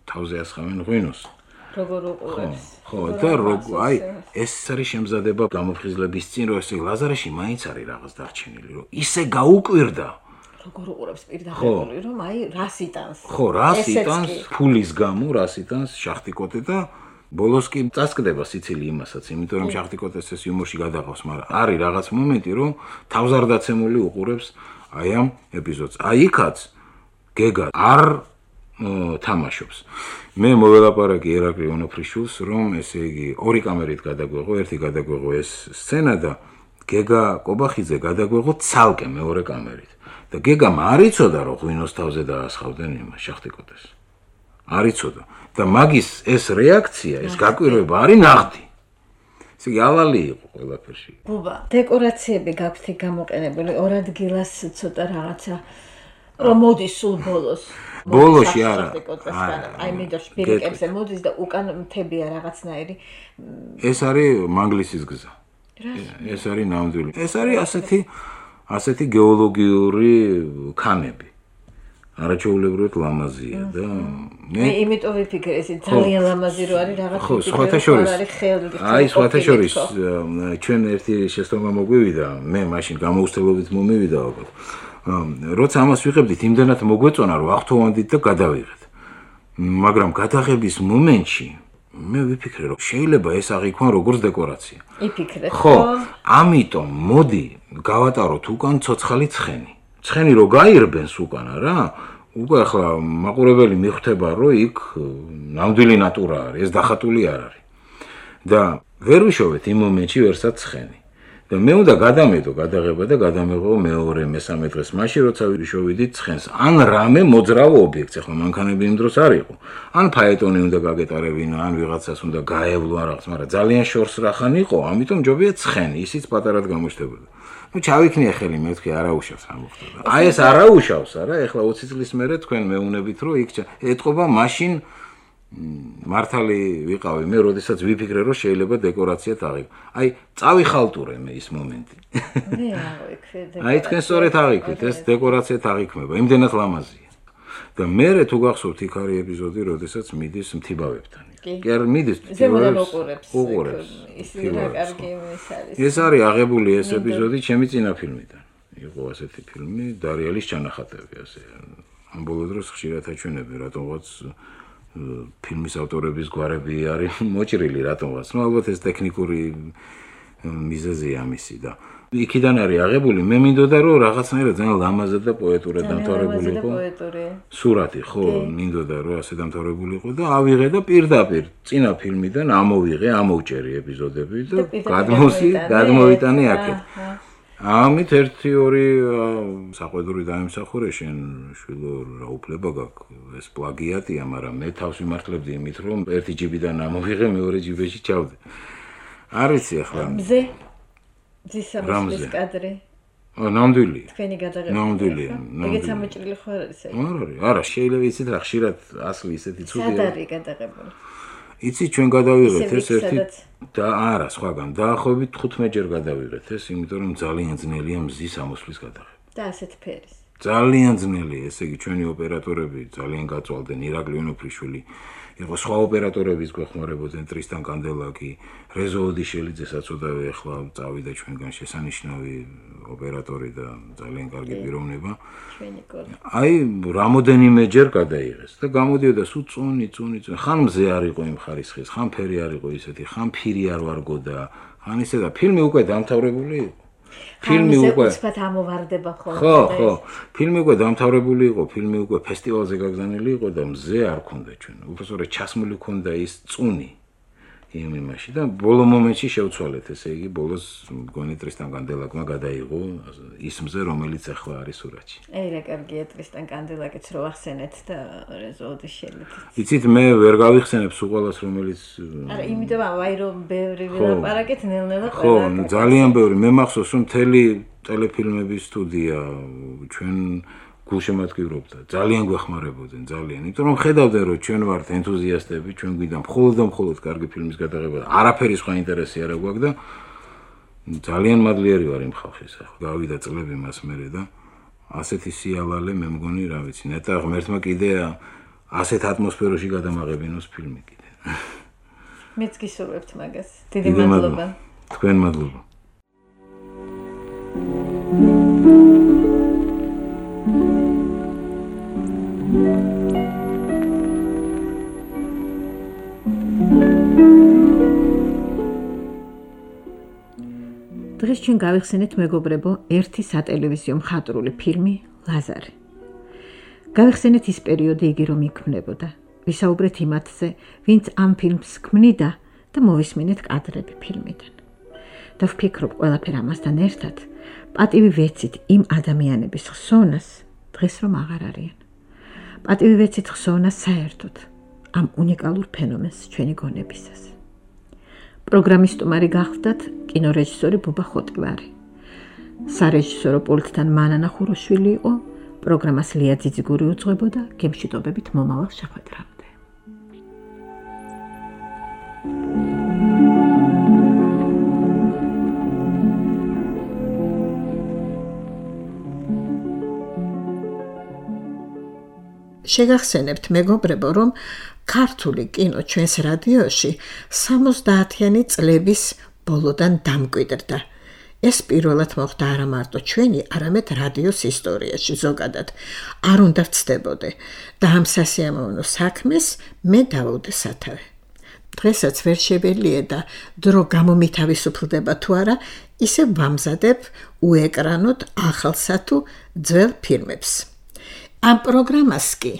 თავზე ასხამენ ღვინოს როგორ უყურებს ხო და აი ეს არის შემზადება გამოფხიზლების წინ რომ ესე ლაზარეში მაინც არის რაღაც დარჩენილი რომ ისე გაუკვირდა როგორ უყურებს პირდაპირ რომ აი რას იტანს ხო რას იტანს ფულის გამო რას იტანს შახტიკოტე და ბოლოს კი წასკდება სიცილი იმასაც იმიტომ რომ შახტიკოტეს ეს იუმორში გადაყავს მაგრამ არის რაღაც მომენტი რომ თავზარდაცემული უყურებს აი ამ ეპიზოდს აი იქაც გეგა არ თამაშობს მე მოველაპარაკე ერაკლი ონოფრიშვილს რომ ესე იგი ორი კამერით გადაგვეღო ერთი გადაგვეღო ეს სცენა და გეგა კობახიძე გადაგვეღო ცალკე მეორე კამერით და გეგამ არ იცოდა რომ ღვინოს თავზე დაასხავდნენ იმას შახტიკოტეს არ იცოდა და მაგის ეს რეაქცია ეს გაკვირვება არის ნაღდი ესე იგი ალალი იყო ყველაფერში ბუბა დეკორაციები გაქვთ გამოყენებული ორ ადგილას ცოტა რაღაცა რომ მოდის სულ ბოლოში არა აი მინდორს პირიკებზე მოდის და უკან მთებია რაღაცნაირი ეს არის მანგლისის გზა ეს არის ნამდვილი ეს არის ასეთი გეოლოგიური ქანები არაჩვეულებრივად ლამაზია და მე იმიტომ ვიფიქრე ეს ძალიან ლამაზი რო არის რაღაც ხო სხვათა შორის აი სხვათა შორის ჩვენ ერთი შეცდომა მოგვივიდა მე მაშინ გამოუცდელობით მომივიდა ალბათ როცა ამას ვიღებდით იმდანაც მოგვეწონა რომ ახთოვანდით და გადავიღეთ მაგრამ გადაღების მომენტში მე ვიფიქრე რომ შეიძლება ეს აღიქვან როგორც დეკორაცია იფიქრეთ ხო ამიტომ მოდი გავატაროთ უკან ცოცხალი ცხენი რო გაირბენს უკან რა უკვე ახლა მაყურებელი მიხვდება რომ იქ ნამდვილი ნატურა არის ეს დახატული არ არის და ვერ ვიშოვეთ იმ მომენტში ვერსაც ცხენი და მე უნდა გადამედო გადაღება და გადამეღო მეორე მესამე დღეს მაშინ როცა ვიშოვიდით ცხენს ან რამე მოძრავ ობიექტს ახლა მანქანები იმ დროს არ იყო ან ფაეტონი უნდა გაგეტარებინა ან ვიღაცას უნდა გაევლო ან რაღაც მაგრამ ძალიან შორს რახან იყო ამიტომ ჯობია ცხენი ისიც პატარად გამოჩნდებოდა ну ჩავიქნია ხელი მე ვთქვი არაუშავს ამ მოხდება აი ეს არაუშავს არა ეხლა 20 წლის მერე თქვენ მეუნებით რომ იქ ეთყობა მაშინ მართალი ვიყავი მე როდესაც ვიფიქრე რომ შეიძლება დეკორაციად აღიქვა აი წავიხალტურე მე ის მომენტი მე ავიქრე აი თქვენ სწორედ აღიქვით ეს დეკორაციად აღიქმება იმდენად ლამაზია და მე თუ გახსოვთ იქ არის ეპიზოდი როდესაც მიდის მთიბავებთან კი არ მიდის უყურებს ისე რა კარგი ის არის ეს არის აღებული ეს ეპიზოდი ჩემი წინა ფილმიდან იყო ასეთი ფილმი დარიელის ჩანახატები ასე ამ ბოლო დროს ხშირად აჩვენები რატომღაც ფილმის ავტორების გვარები არის მოჭრილი რატომღაც ну ალბათ ეს ტექნიკური მიზეზია ამისი და იქიდან არის აღებული მე მინდოდა რომ რაღაცნაირად ძალიან ლამაზად და პოეტურად დამთავრებული იყო სურათი ხო მინდოდა რომ ასე დამთავრებული იყო და ავიღე და პირდაპირ წინა ფილმიდან ამოვიღე ამოვჭერი ეპიზოდები და გადმოვიტანე აქეთ ამით 1-2 საყვედური დაიმსახურე შენ შვილო რა უფლება გაქვს ეს პლაგიატია მაგრამ მე თავს ვიმართლებდი იმით რომ ერთი ჯიბიდან ამოვიღე მეორე ჯიბეში ჩავდე არ ვიცი ახლა მზე ძისამის კადრი ნამდვილი თქვენი გადაღება ნამდვილია ეგეც ამოჭრილი ხო არის ეს არა შეიძლება იცით რა ხშირად ასლი ისეთი ცუდია სად არის გადაღებული იცი ჩვენ გადავიღეთ ეს ერთი და არა სხვაგან დაახლოებით 15 ჯერ გადავიღეთ ეს იმიტომ რომ ძალიან ძნელია მზის ამოსვლის გადაღება და ასეთ ფერის ძალიან ძნელია ესე იგი ჩვენი ოპერატორები ძალიან გაწვალდნენ ირაკლი ონოფრიშვილი იყო სხვა ოპერატორების გვეხმარებოდნენ ტრისტან კანდელაკი რეზო ოდიშელიძე საწოდავი ახლა წავიდა ჩვენგან შესანიშნავი ოპერატორი და ძალიან კარგი პიროვნება აი რამოდენიმე ჯერ გადაიღეს და გამოდიოდა სულ წუნი ხან მზე არ იყო იმ ხარისხის ხან ფერი არ იყო ისეთი ხან ფირი არ ვარგო და ხან ისე და ფილმი უკვე დამთავრებული იყო ფილმი უკვე უცბად ამოვარდება ხოლმე. ხო, ფილმი უკვე დამთავრებული იყო, ფილმი უკვე ფესტივალზე გაგზავნილი იყო და მზე არ ქონდა ჩვენ. უბრალოდ ჩასმული ქონდა ის წუნი იმ იმაში და ბოლო მომენტში შევცვალეთ, ესე იგი ბოლოს მგონი ტრისტან კანდელაკმა გადაიღო ის მზე, რომელიც ახლა არის სურათში. რა კარგია ტრისტან კანდელაკიც რო ახსენეთ და რეზოლუტი შეიძლება. იცით, მე ვერ გავიხსენებ სულ ყველას, რომელიც არა, იმიტომ რომ ბევრი ვილაპარაკეთ, ნელ-ნელა ხო, ძალიან ბევრი. მე მახსოვს, რომ მთელი ტელეფილმების სტუდია ჩვენ გულშემატკივრობდა. ძალიან გვეხმარებოდნენ, ძალიან. იმიტომ რომ ხედავდნენ, რომ ჩვენ ვართ ენთუზიასტები, ჩვენ გვინდა მხოლოდ კარგი ფილმის გადაღება და არაფერი სხვა ინტერესი არ აქვს და ძალიან მადლიერი ვარ იმ ხალხის. ახლა გავიდა წლები მას მერე და ასეთი სიალალე მე მგონი, რა ვიცი, ნეტა ღმერთმა კიდე ასეთ ატმოსფეროში გადამაღებინოს ფილმი კიდე. მეც გისურვებთ მაგას. დიდი მადლობა. თქვენ მადლობა. დღეს ჩვენ გავიხსენეთ მეგობრებო ერთი სატელევიზიო მხატვრული ფილმი ლაზარე. გავიხსენეთ ის პერიოდი იგი რომ იქმნებოდა. ვისაუბრეთ იმათზე, ვინც ამ ფილმს ქმნიდა და მოვისმინეთ კადრები ფილმიდან. და ვფიქრობ ყველაფერ ამასთან ერთად, პატივი ვეცით იმ ადამიანების ხსოვნას დღეს რომ აღარ არიან. პატივი ვეცით ხსოვნას საერთოდ ამ უნიკალურ ფენომენს ჩვენი გონებისას. პროგრამის სტუმარი გახლდათ კინორეჟისორი ბუბა ხოტივარი. სარეჟისორო პულტთან მანანა ხუროშვილი იყო, პროგრამას ლია ძიძიგური უძღვებოდა, გემშვიდობებით მომავალ შეხვედრამდე. შეგახსენებთ მეგობრებო, რომ ქართული კინო ჩვენს რადიოში 70-იანი წლების ბოლოდან დამკვიდრდა. ეს პირველად მოხდა არა მარტო ჩვენი, არამედ რადიოს ისტორიაში ზოგადად. არ უნდა ვცდებოდე და ამ სასიამოვნო საქმეს მე დავუდგე სათავე. დღესაც ვერ შეველია და დრო გამომითავისუფლდება თუ არა, ისე ვამზადებ უეკრანოდ ახალსა თუ ძველ ფილმებს. ამ პროგრამას კი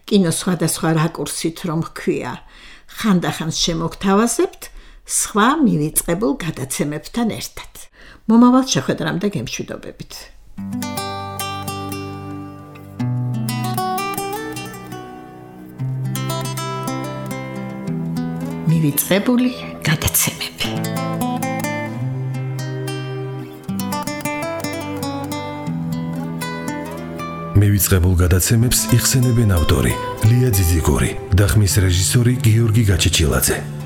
კინო სხვადასხვა რაკურსით რომ ჰქვია, ხანდახან შემოგთავაზებთ სხვა მივიწყებულ გადაცემებთან ერთად. მომავალ შეხვედრამდე გემშვიდობებით. მივიწყებული გადაცემები. მივიწყებულ გადაცემებს იხსენებენ ავტორი ლია ძიძიგური და ხმის რეჟისორი გიორგი გაჩეჩილაძე.